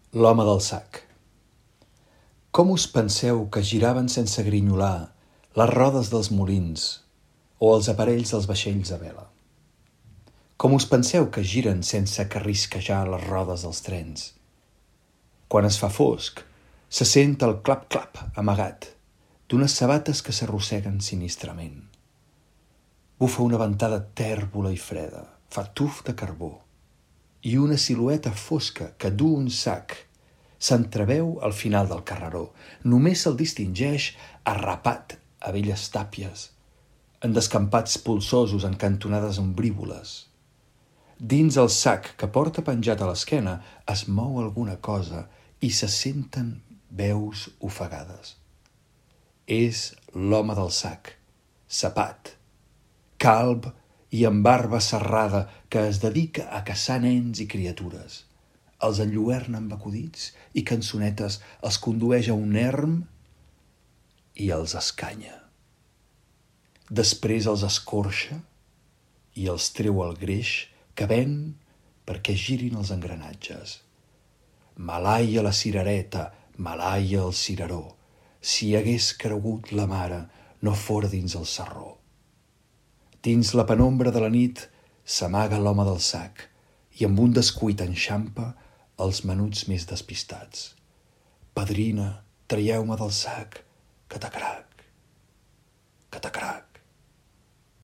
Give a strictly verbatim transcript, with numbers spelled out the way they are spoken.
L'home del sac. Com us penseu que giraven sense grinyolar les rodes dels molins o els aparells dels vaixells a vela? Com us penseu que giren sense carrisquejar les rodes dels trens? Quan es fa fosc, se sent el clap-clap amagat d'unes sabates que s'arrosseguen sinistrament. Bufa una ventada tèrbola i freda, fa tuf de carbó, i una silueta fosca que du un sac s'entreveu al final del carreró. Només se'l distingeix arrapat a velles tàpies, en descampats polsosos en cantonades ombrívoles. Dins el sac que porta penjat a l'esquena es mou alguna cosa i se senten veus ofegades. És l'home del sac, sapat, calb i amb barba serrada, que es dedica a caçar nens i criatures. Els enlluerna amb acudits i cançonetes, els condueix a un erm i els escanya. Després els escorxa i els treu el greix que ven perquè girin els engranatges. Malaia la cirereta, malaia el cireró. Si hagués cregut la mare, no fora dins el sarró. Dins la penombra de la nit s'amaga l'home del sac i amb un descuit enxampa els menuts més despistats. Padrina, traieu-me del sac, catacrac, catacrac.